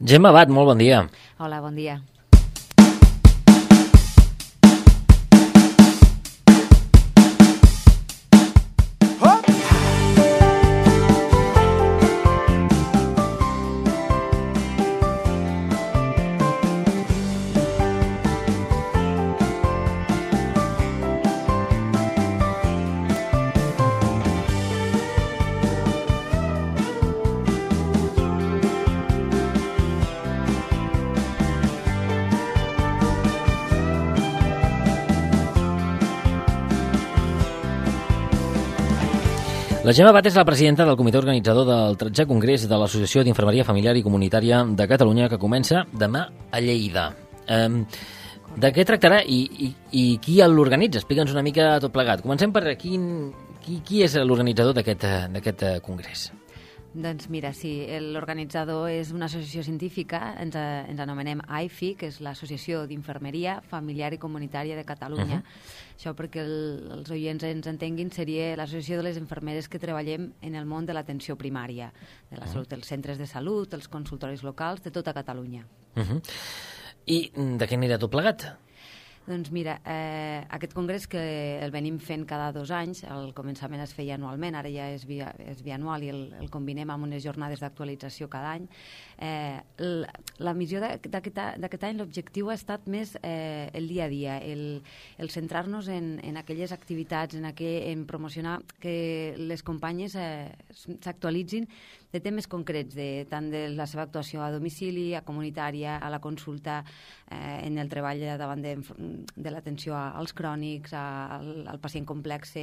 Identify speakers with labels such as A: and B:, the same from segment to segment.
A: Gemma Abad, molt bon dia.
B: Hola, bon dia.
A: La Gemma Abad és la presidenta del comitè organitzador del 13è Congrés de l'Associació d'Infermeria Familiar i Comunitària de Catalunya, que comença demà a Lleida. De què tractarà i qui l'organitza? Explica'ns una mica tot plegat. Comencem per qui és l'organitzador d'aquest congrés.
B: Doncs mira, sí, l'organitzador és una associació científica, ens anomenem AIFI, que és l'Associació d'Infermeria Familiar i Comunitària de Catalunya. Això perquè els oients ens entenguin, seria l'associació de les infermeres que treballem en el món de l'atenció primària, de la salut, dels centres de salut, els consultoris locals, de tota Catalunya.
A: I de què anirà tot plegat?
B: Doncs mira, aquest congrés que el venim fent cada 2 anys, al començament es feia anualment, ara ja és bianual i el combinem amb unes jornades d'actualització cada any. La missió d'aquest any, l'objectiu ha estat més el dia a dia, el centrar-nos en aquelles activitats, en promocionar que les companyes s'actualitzin de temes concrets, tant de la seva actuació a domicili, a comunitària, a la consulta, en el treball davant de l'atenció als crònics, al pacient complex,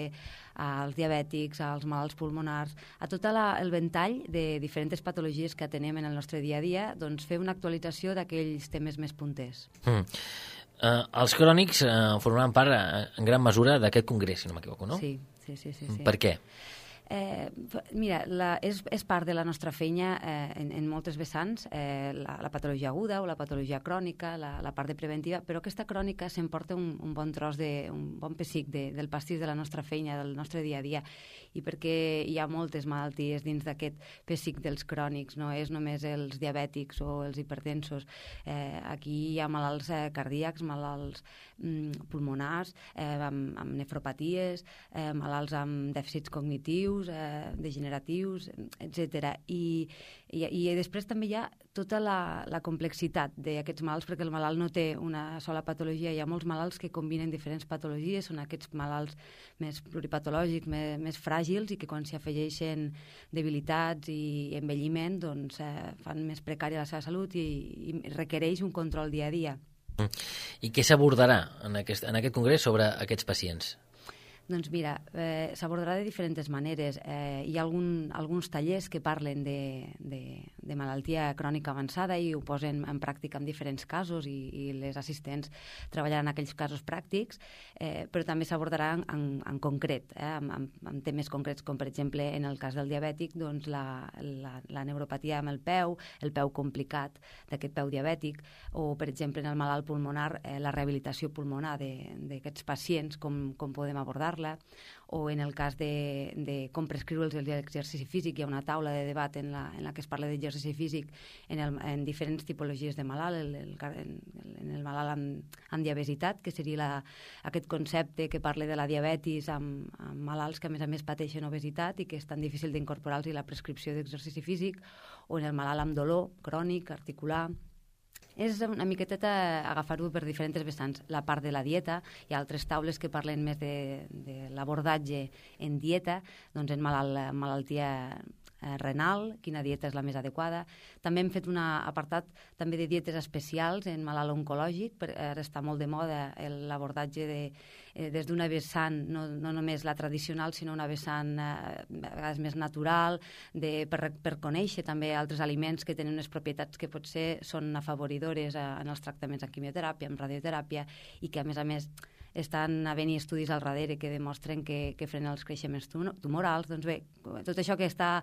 B: als diabètics, als malalts pulmonars, a tot el ventall de diferents patologies que atenem en el nostre dia a dia, doncs fer una actualització d'aquells temes més punters.
A: Els crònics formaran part en gran mesura d'aquest congrés, si no m'equivoco, no?
B: Sí.
A: Per què?
B: Mira, és part de la nostra feina en moltes vessants, la patologia aguda o la patologia crònica, la part de preventiva, però aquesta crònica s'emporta un bon tros, un bon pessic del pastís de la nostra feina, del nostre dia a dia, i perquè hi ha moltes malalties dins d'aquest pessic dels crònics, no és només els diabètics o els hipertensos. Aquí hi ha malalts cardíacs, malalts pulmonars, amb nefropaties, malalts amb dèficits cognitius, degeneratius, etc. I després també hi ha tota la complexitat d'aquests malalts, perquè el malalt no té una sola patologia, hi ha molts malalts que combinen diferents patologies, són aquests malalts més pluripatològics, més fràgils, i que quan s'hi afegeixen debilitats i envelliment doncs fan més precària la seva salut i requereix un control dia a dia.
A: I què s'abordarà en aquest congrés sobre aquests pacients?
B: Doncs mira, s'abordarà de diferents maneres. Hi ha alguns tallers que parlen de malaltia crònica avançada i ho posen en pràctica en diferents casos i les assistents treballaran aquells casos pràctics, però també s'abordarà en concret, amb temes concrets, com per exemple en el cas del diabètic, doncs la neuropatia amb el peu complicat d'aquest peu diabètic, o per exemple en el malalt pulmonar, la rehabilitació pulmonar d'aquests pacients, com podem abordar-la, o en el cas de com prescriure'ls l'exercici físic. Hi ha una taula de debat en la que es parla d'exercici físic en diferents tipologies de malalt, en el malalt amb diabesitat, que seria aquest concepte que parla de la diabetis amb malalts que a més pateixen obesitat i que és tan difícil d'incorporar-los i la prescripció d'exercici físic, o en el malalt amb dolor crònic, articular. És una miqueteta agafar-ho per diferents vessants. La part de la dieta, hi ha altres taules que parlen més de l'abordatge en dieta, doncs en malaltia renal, quina dieta és la més adequada. També hem fet un apartat també de dietes especials en malalt oncològic, ara està molt de moda l'abordatge des d'una vessant, no només la tradicional, sinó una vessant a vegades més natural, per conèixer també altres aliments que tenen unes propietats que potser són afavoridores en els tractaments en quimioteràpia, en radioteràpia, i que a més estan havent-hi estudis al darrere que demostren que frenen els creixements tumorals. Doncs bé, tot això que està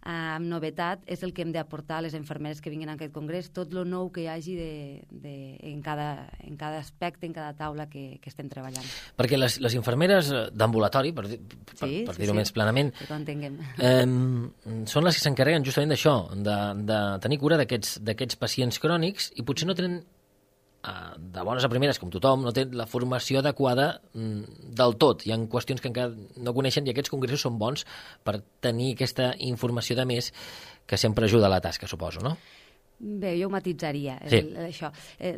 B: amb novetat és el que hem d'aportar a les infermeres que vinguin a aquest congrés, tot lo nou que hi hagi en cada aspecte, en cada taula que estem treballant.
A: Perquè les infermeres d'ambulatori, per dir-ho més planament,
B: que ho entenguem,
A: són les que s'encarreguen justament d'això, de tenir cura d'aquests pacients crònics, i potser no tenen de bones a primeres, com tothom, no té la formació adequada del tot. Hi ha qüestions que encara no coneixen i aquests congressos són bons per tenir aquesta informació de més que sempre ajuda a la tasca, suposo, no?
B: Bé, jo ho matitzaria, això.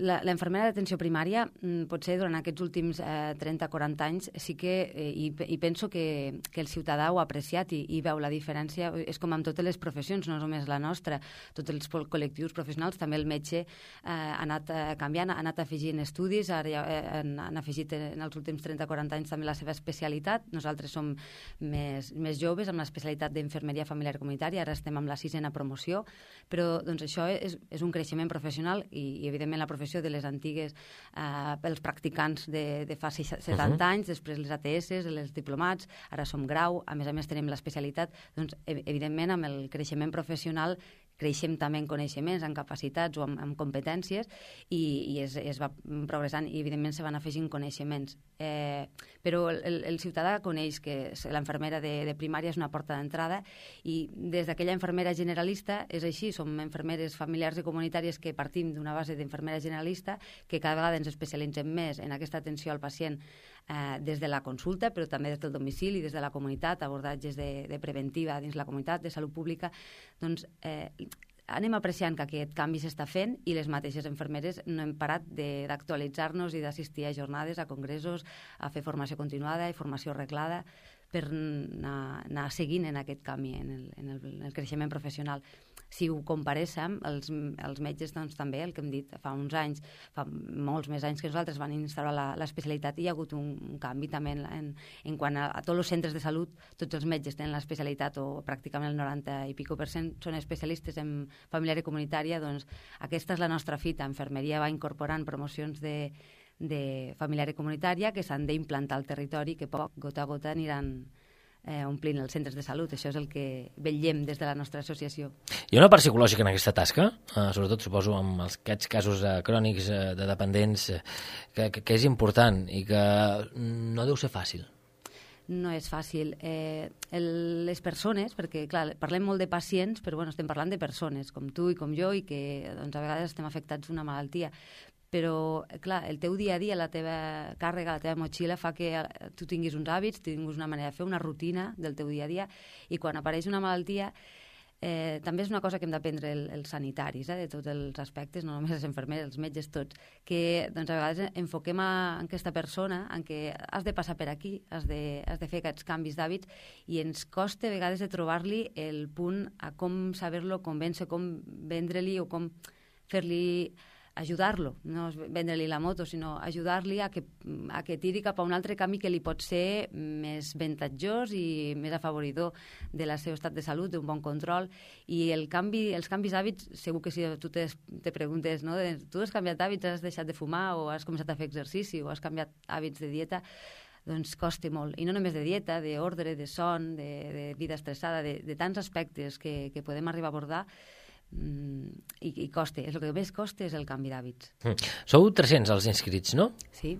B: La infermera d'atenció primària, potser durant aquests últims 30-40 anys, sí que, i penso que el ciutadà ho ha apreciat i veu la diferència, és com amb totes les professions, no només la nostra, tots els col·lectius professionals, també el metge ha anat canviant, ha anat afegint estudis, ara han afegit en els últims 30-40 anys també la seva especialitat. Nosaltres som més joves amb l'especialitat d'infermeria familiar comunitària, ara estem amb la 6a promoció, però doncs això és un creixement professional i evidentment la professió de les antigues pels practicants de fa 70 anys, després les ATS, els diplomats, ara som grau, a més tenim l'especialitat, doncs evidentment amb el creixement professional creixem també en coneixements, en capacitats o en competències i es va progressant i evidentment se van afegint coneixements. Però el ciutadà coneix que l'infermera de primària és una porta d'entrada i des d'aquella infermera generalista és així, som infermeres familiars i comunitàries que partim d'una base d'infermera generalista que cada vegada ens especialitzem més en aquesta atenció al pacient des de la consulta, però també des del domicili, des de la comunitat, abordatges de preventiva dins la comunitat, de salut pública, doncs anem apreciant que aquest canvi s'està fent i les mateixes infermeres no hem parat d'actualitzar-nos i d'assistir a jornades, a congressos, a fer formació continuada i formació reglada per anar seguint en aquest canvi, en el creixement professional. Si ho comparéssim, els metges doncs, també, el que hem dit, fa uns anys, fa molts més anys que nosaltres van instaurar l'especialitat i hi ha hagut un canvi també en quant a tots els centres de salut, tots els metges tenen l'especialitat o pràcticament el 90 i pico % són especialistes en familiar i comunitària, doncs aquesta és la nostra fita. Infermeria va incorporant promocions de familiar i comunitària que s'han d'implantar al territori, que poc, gota a gota, aniran omplint els centres de salut. Això és el que vetllem des de la nostra associació.
A: Hi ha una part psicològica en aquesta tasca, sobretot suposo amb aquests casos crònics de dependents, que és important i que no deu ser fàcil.
B: No és fàcil. Les persones, perquè clar, parlem molt de pacients, però bueno, estem parlant de persones, com tu i com jo, i que doncs, a vegades estem afectats d'una malaltia. Però, clar, el teu dia a dia, la teva càrrega, la teva motxilla fa que tu tinguis uns hàbits, tinguis una manera de fer, una rutina del teu dia a dia, i quan apareix una malaltia també és una cosa que hem d'aprendre els sanitaris, de tots els aspectes, no només les infermeres, els metges, tots, que doncs, a vegades enfoquem en aquesta persona en què has de passar per aquí, has de fer aquests canvis d'hàbits i ens costa a vegades de trobar-li el punt a com saber-lo convèncer, com vendre-li o com fer-li ajudar-lo, no vendre-li la moto, sinó ajudar-li a que tiri cap a un altre camí que li pot ser més avantatjós i més afavoridor del seu estat de salut, d'un bon control. I els canvis d'hàbits, segur que si tu te preguntes, no? Tu has canviat d'hàbits, has deixat de fumar o has començat a fer exercici o has canviat hàbits de dieta, doncs costa molt. I no només de dieta, d'ordre, de son, de vida estressada, de tants aspectes que podem arribar a abordar, i costa. El que més costa és el canvi d'hàbits.
A: Sou 300 els inscrits, no?
B: Sí.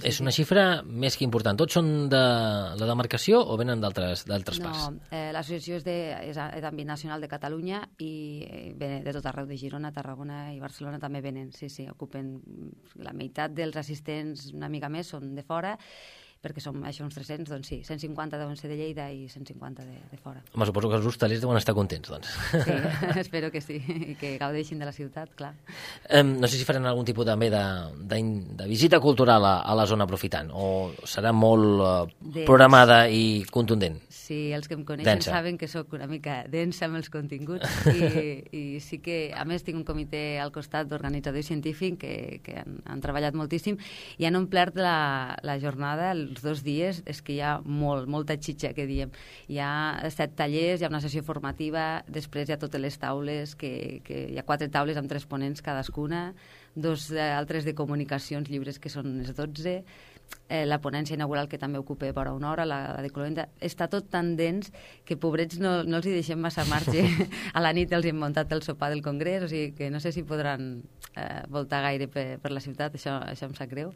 A: És una xifra més que important. Tots són de la demarcació o venen d'altres parts?
B: No, l'associació és d'àmbit nacional de Catalunya i ve de tot arreu, de Girona, Tarragona i Barcelona també venen. Sí, ocupen la meitat dels assistents, una mica més, són de fora, perquè som això uns 300, doncs sí, 150 deuen ser de Lleida i 150 de fora.
A: Home, suposo que els hostalers deuen estar contents, doncs.
B: Sí, espero que sí, i que gaudeixin de la ciutat, clar.
A: No sé si faran algun tipus també de visita cultural a la zona aprofitant, o serà molt programada i contundent?
B: Sí, els que em coneixen saben que sóc una mica densa amb els continguts i sí que, a més, tinc un comitè al costat d'organitzador científic que han treballat moltíssim i han omplert la jornada, els 2 dies, és que hi ha molta xitxa, que diem. Hi ha 7 tallers, hi ha una sessió formativa, després hi ha totes les taules, que hi ha 4 taules amb 3 ponents cadascuna, 2 altres de comunicacions lliures que són les 12, la ponència inaugural, que també ocupa vora una hora, la de Cloenda, està tot tan dens que, pobrets, no els hi deixem massa marge. A la nit els hem muntat el sopar del Congrés, o sigui que no sé si podran voltar gaire per la ciutat, això em sap greu,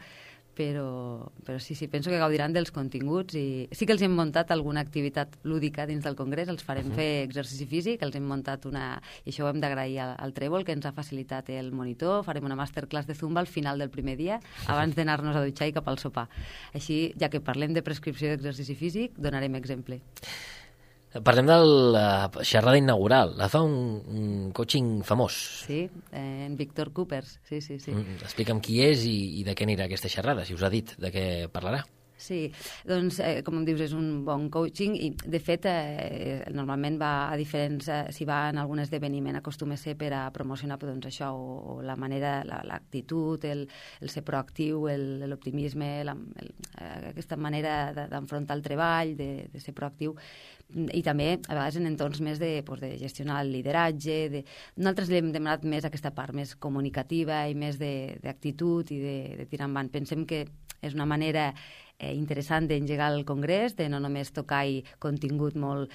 B: però sí, penso que gaudiran dels continguts, i sí que els hem muntat alguna activitat lúdica dins del Congrés, els farem fer exercici físic, els hem muntat i això ho hem d'agrair al Trèvol, que ens ha facilitat el monitor, farem una masterclass de Zumba al final del primer dia, abans d'anar-nos a dutxar i cap al sopar. Així, ja que parlem de prescripció d'exercici físic, donarem exemple.
A: Parlem de la xerrada inaugural. La fa un coaching famós.
B: Sí, en Víctor Coopers. Sí.
A: Explica'm qui és i de què anirà aquesta xerrada, si us ha dit de què parlarà.
B: Sí, doncs, com em dius, és un bon coaching i, de fet, normalment va a diferents... si va en algun esdeveniment acostuma a ser per a promocionar doncs, això, o la manera, l'actitud, el ser proactiu, l'optimisme, aquesta manera d'enfrontar el treball, de ser proactiu, i també a vegades en entorns més de gestionar el lideratge. Nosaltres li hem demanat més aquesta part més comunicativa i més d'actitud i de tirar endavant. Pensem que és una manera interessant d'engegar el Congrés, de no només tocar contingut molt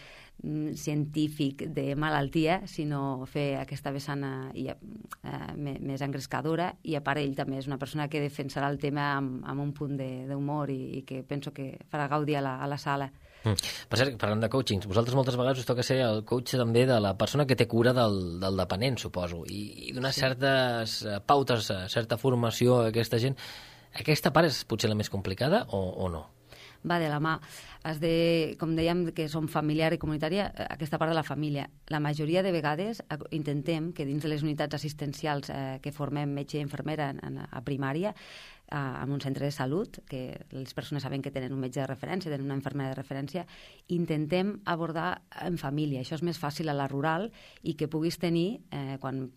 B: científic de malaltia, sinó fer aquesta vessant més engrescadora, i a part ell també és una persona que defensarà el tema amb un punt d'humor i que penso que farà gaudir a la sala.
A: Per cert, parlant de coachings, vosaltres moltes vegades us toca ser el coach també de la persona que té cura del dependent, suposo, i donar certes pautes, certa formació a aquesta gent. Aquesta part és potser la més complicada o no?
B: Va de la mà. Com dèiem, que som familiar i comunitària, aquesta part de la família. La majoria de vegades intentem que dins de les unitats assistencials que formem metge i infermera a primària, en un centre de salut, que les persones saben que tenen un metge de referència, tenen una infermera de referència, intentem abordar en família. Això és més fàcil a la rural, i que puguis tenir, quan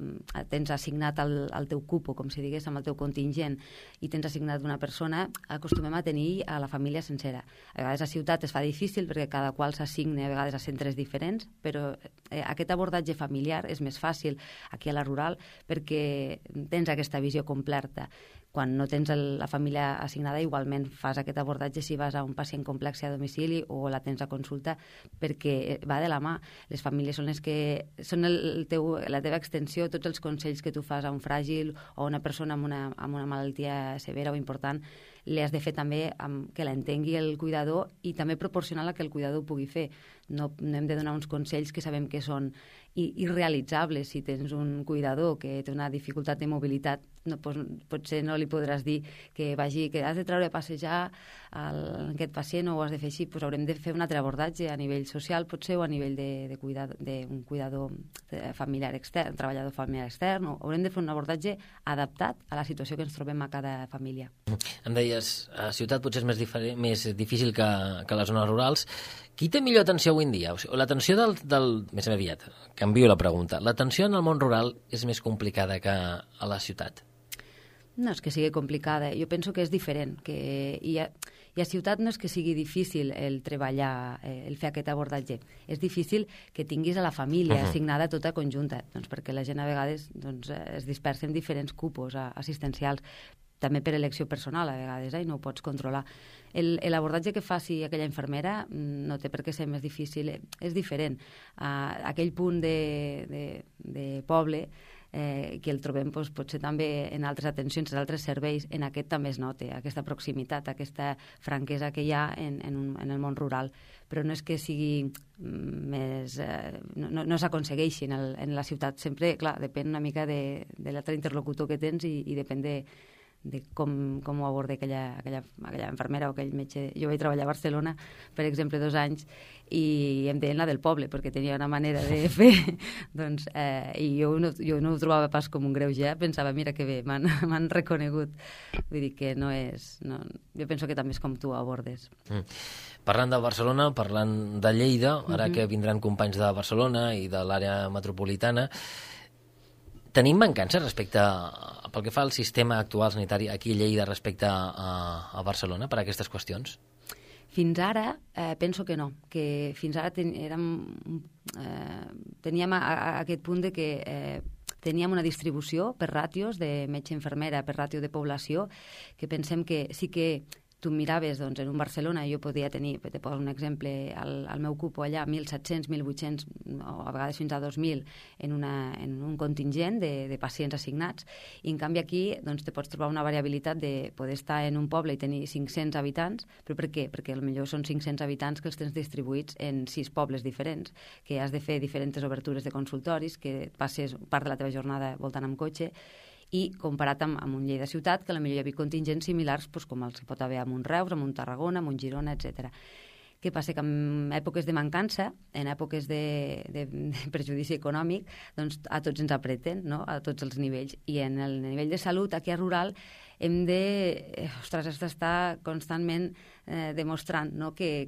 B: tens assignat el teu cupo, com si digués, amb el teu contingent, i tens assignat una persona, acostumem a tenir a la família sencera. A vegades a ciutat es fa difícil perquè cada qual s'assigna a vegades a centres diferents, però aquest abordatge familiar és més fàcil aquí a la rural perquè tens aquesta visió completa. Quan no tens la família assignada, igualment fas aquest abordatge si vas a un pacient complex a domicili o la tens a consulta, perquè va de la mà. Les famílies són les que són la teva extensió. Tots els consells que tu fas a un fràgil o a una persona amb una malaltia severa o important, li has de fer també que l'entengui el cuidador, i també proporcionar la que el cuidador pugui fer. No hem de donar uns consells que sabem que són irrealitzables. Si tens un cuidador que té una dificultat de mobilitat, potser no li podràs dir que has de treure a passejar aquest pacient, o ho has de fer així. Haurem de fer un altre abordatge a nivell social, potser, o a nivell d'un cuidador familiar extern, treballador familiar extern. Haurem de fer un abordatge adaptat a la situació que ens trobem a cada família.
A: Em deies, a ciutat potser és més difícil que a les zones rurals. Qui té millor atenció avui en dia? L'atenció més aviat, canvio la pregunta. L'atenció en el món rural és més complicada que a la ciutat?
B: No és que sigui complicada, jo penso que és diferent, i a ciutat no és que sigui difícil el treballar, el fer aquest abordatge. És difícil que tinguis a la família assignada tota conjunta, perquè la gent a vegades es dispersa en diferents cupos assistencials, també per elecció personal a vegades, i no ho pots controlar. L'abordatge que faci aquella infermera no té per què ser més difícil, és diferent. Aquell punt de poble, que el trobem potser també en altres atencions, en altres serveis, en aquest també es nota aquesta proximitat, aquesta franquesa que hi ha en el món rural, però no és que sigui més... no s'aconsegueixi en la ciutat. Sempre, clar, depèn una mica de l'altre interlocutor que tens i depèn de com ho aborda aquella infermera o aquell metge. Jo vaig treballar a Barcelona, per exemple, 2 anys, i em deien la del poble, perquè tenia una manera de fer, i jo no ho trobava pas com un greuge, pensava, mira que bé, m'han reconegut. Vull dir que no és... Jo penso que també és com tu ho abordes.
A: Parlant de Barcelona, parlant de Lleida, ara que vindran companys de Barcelona i de l'àrea metropolitana, tenim mancances pel que fa al sistema actual sanitari aquí a Lleida respecte a Barcelona per a aquestes qüestions?
B: Fins ara penso que no, que fins ara teníem aquest punt de que teníem una distribució per ràtios de metge-infermera, per ràtio de població, que pensem que sí que tu miraves, doncs, en un Barcelona, jo podia tenir, te poso un exemple, al meu cupo allà, 1.700, 1.800, o a vegades fins a 2.000 en un contingent de pacients assignats, i en canvi aquí doncs, te pots trobar una variabilitat de poder estar en un poble i tenir 500 habitants, però per què? Perquè potser són 500 habitants que els tens distribuïts en 6 pobles diferents, que has de fer diferents obertures de consultoris, que passes part de la teva jornada voltant amb cotxe, i comparat amb un Lleida ciutat, que potser hi havia contingents similars com els que pot haver amb un Reus, amb un Tarragona, amb un Girona, etc. Què passa? Que en èpoques de mancança, en èpoques de perjudici econòmic, doncs a tots ens apreten, no? A tots els nivells. I en el nivell de salut, aquí a rural, hem d'estar constantment demostrant, no? que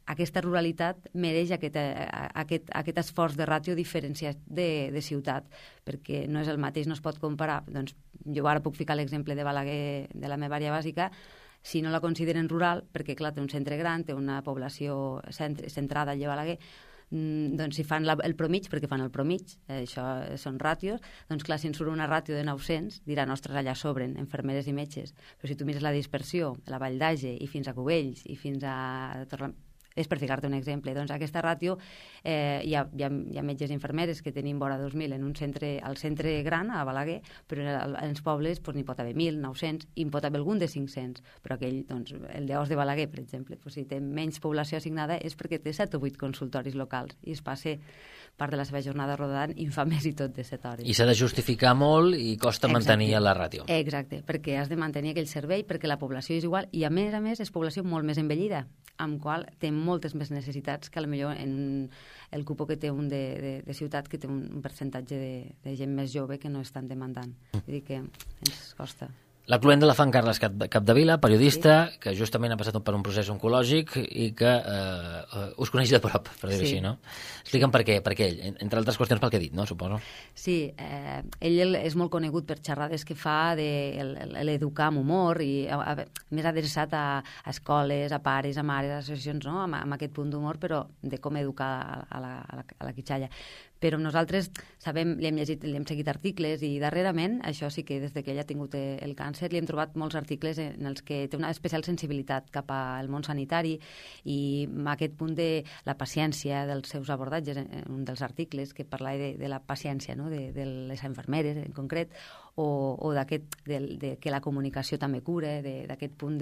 B: aquesta ruralitat mereix aquest esforç de ràtio diferenciat de ciutat, perquè no és el mateix, no es pot comparar. Doncs jo ara puc ficar l'exemple de Balaguer, de la meva àrea bàsica, si no la consideren rural, perquè clar, té un centre gran, té una població centrada allà a Balaguer, doncs si fan el promig, perquè fan el promig, això són ràtios, doncs clar, si en surt una ràtio de 900, diran, ostres, allà sobren infermeres i metges, però si tu mires la dispersió, la Vall d'Age i fins a Cubells i fins a és per ficar-te un exemple. Doncs aquesta ràtio, hi ha metges i infermeres que tenim vora 2.000 al centre gran, a Balaguer, però en els pobles n'hi pot haver 1.000, 900, i en pot haver algun de 500, però aquell, doncs, el d'Os de Balaguer, per exemple, si té menys població assignada és perquè té 7 o 8 consultoris locals i es passa part de la seva jornada rodant infamés i tot de 7 hores.
A: I s'ha de justificar molt i costa mantenir la ràtio.
B: Exacte, perquè has de mantenir aquell servei, perquè la població és igual i a més és població molt més envellida, amb qual té moltes més necessitats que potser en el cupo que té un de ciutat, que té un percentatge de gent més jove que no és tan demandant. Vull dir que ens costa.
A: La cluent de la Fan Carles Capdevila, periodista, sí, que justament ha passat per un procés oncològic i que us coneix de prop, per dir-ho així, no? Explica'm per què ell, entre altres qüestions pel que he dit, no? Suposo.
B: Sí, ell és molt conegut per xerrades que fa de l'educar amb humor i més adreçat a escoles, a pares, a mares, a associacions, no? Amb aquest punt d'humor, però de com educar a la quitxalla. Però nosaltres sabem, li hem llegit, li hem seguit articles i darrerament, això sí que des que ella ha tingut el càncer, li hem trobat molts articles en els que té una especial sensibilitat cap al món sanitari i amb aquest punt de la paciència dels seus abordatges, un dels articles que parla de la paciència, no? de les infermeres en concret, o d'aquest que la comunicació també cura, d'aquest punt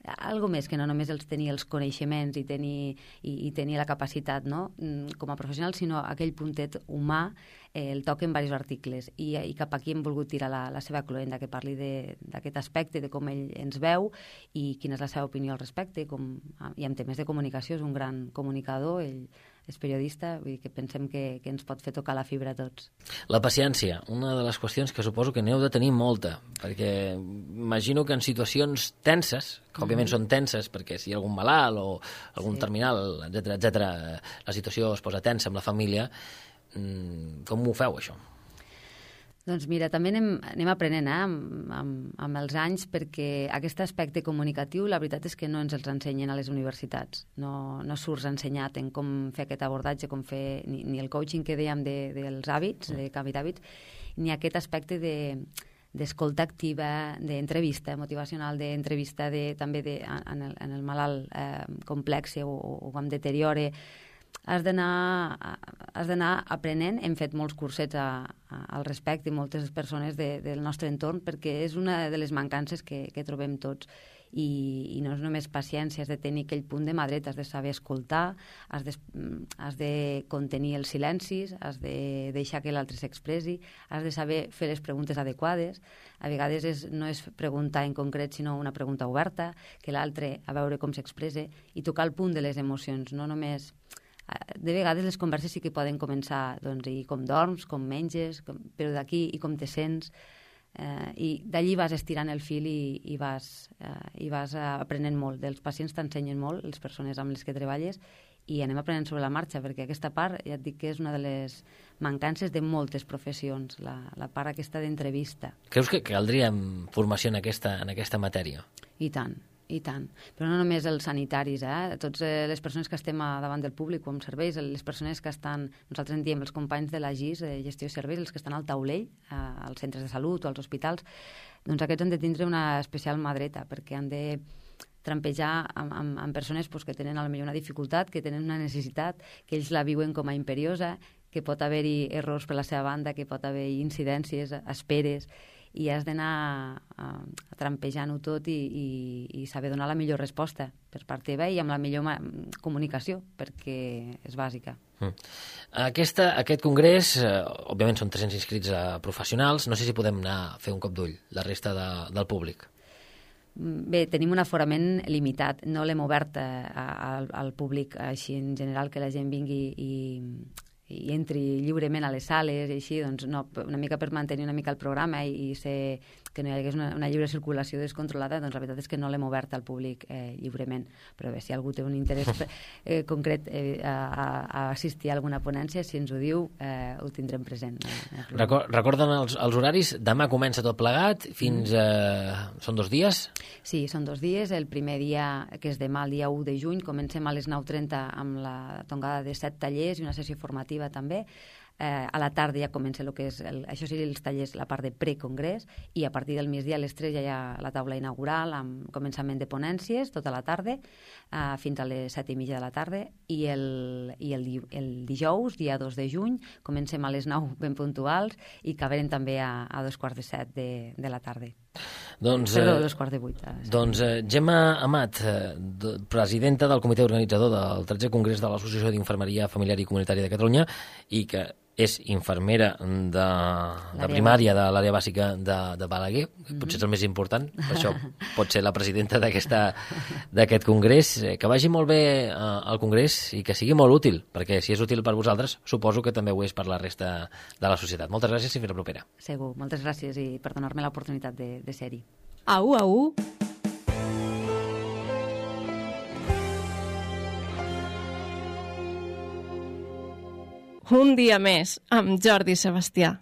B: algo més que no només tenir els coneixements i tenir la capacitat, no? Com a professional, sinó aquell puntet humà el toca en diversos articles i cap aquí hem volgut tirar la seva cluenda, que parli d'aquest aspecte, de com ell ens veu i quina és la seva opinió al respecte, i en temes de comunicació és un gran comunicador, ell és periodista, vull dir que pensem que ens pot fer tocar la fibra a tots.
A: La paciència, una de les qüestions que suposo que n'heu de tenir molta, perquè imagino que en situacions tenses, que òbviament són tenses perquè si hi ha algun malalt o algun terminal, etc, la situació es posa tensa amb la família, com ho feu, això?
B: Doncs mira, també anem aprenent amb els anys, perquè aquest aspecte comunicatiu la veritat és que no ens els ensenyen a les universitats. No surts ensenyat en com fer aquest abordatge, com fer ni el coaching que dèiem dels hàbits, de canvi d'hàbits, ni aquest aspecte d'escolta activa, d'entrevista motivacional, d'entrevista també en el malalt complex o amb deteriore. Has d'anar aprenent. Hem fet molts cursets al respecte i moltes persones del nostre entorn, perquè és una de les mancances que trobem tots. I no és només paciència, has de tenir aquell punt de mà dreta, has de saber escoltar, has de contenir els silencis, has de deixar que l'altre s'expressi, has de saber fer les preguntes adequades. A vegades no és preguntar en concret, sinó una pregunta oberta, que l'altre a veure com s'expressa, i tocar el punt de les emocions, no només... De vegades les converses sí que poden començar, doncs, i com dorms, com menges, però d'aquí i com te sents, i d'allí vas estirant el fil i vas aprenent molt. Dels pacients t'ensenyen molt, les persones amb les que treballes, i anem aprenent sobre la marxa, perquè aquesta part, ja et dic que és una de les mancances de moltes professions, la part aquesta d'entrevista.
A: Creus que caldria formació en aquesta matèria?
B: I tant. I tant. Però no només els sanitaris, Tots les persones que estem davant del públic o amb serveis, les persones que estan, nosaltres en diem els companys de la GIS, de gestió de serveis, els que estan al taulell, als centres de salut o als hospitals, doncs aquests han de tindre una especial mà dreta, perquè han de trampejar amb persones que tenen potser una dificultat, que tenen una necessitat, que ells la viuen com a imperiosa, que pot haver-hi errors per la seva banda, que pot haver-hi incidències, esperes, i has d'anar trampejant-ho tot i saber donar la millor resposta per part teva i amb la millor comunicació, perquè és bàsica.
A: Aquest congrés, òbviament són 300 inscrits professionals, no sé si podem anar a fer un cop d'ull, la resta del públic.
B: Bé, tenim un aforament limitat, no l'hem obert al públic així en general, que la gent vingui i entri lliurement a les sales i així, doncs no, una mica per mantenir una mica el programa i ser que no hi hagués una lliure circulació descontrolada, doncs la veritat és que no l'hem obert al públic lliurement, però bé, si algú té un interès concret a assistir a alguna ponència, si ens ho diu, ho tindrem present.
A: Recorden els horaris? Demà comença tot plegat, fins... Són 2 dies?
B: Sí, són 2 dies. El primer dia, que és demà, el dia 1 de juny, comencem a les 9:30 amb la tongada de 7 tallers i una sessió formativa també. A la tarda ja comença el que és, això sí, els tallers, la part de precongrés, i a partir del migdia a les 3 ja hi ha la taula inaugural amb començament de ponències tota la tarda, fins a les 7:30 de la tarda, i el dijous, dia 2 de juny, comencem a les 9 ben puntuals i acabarem també a 7:15 de la tarda.
A: Doncs,
B: Perdó, 7:15.
A: Doncs Gemma Amat, presidenta del comitè organitzador del 13è Congrés de l'Associació d'Infermeria Familiar i Comunitària de Catalunya i que és infermera de primària de l'àrea bàsica de Balaguer, potser és el més important, per això pot ser la presidenta d'aquest congrés. Que vagi molt bé al congrés i que sigui molt útil, perquè si és útil per vosaltres, suposo que també ho és per la resta de la societat. Moltes gràcies i fins la propera.
B: Segur, moltes gràcies i per donar-me l'oportunitat de ser-hi.
C: Au. Un dia més amb Jordi Sebastià.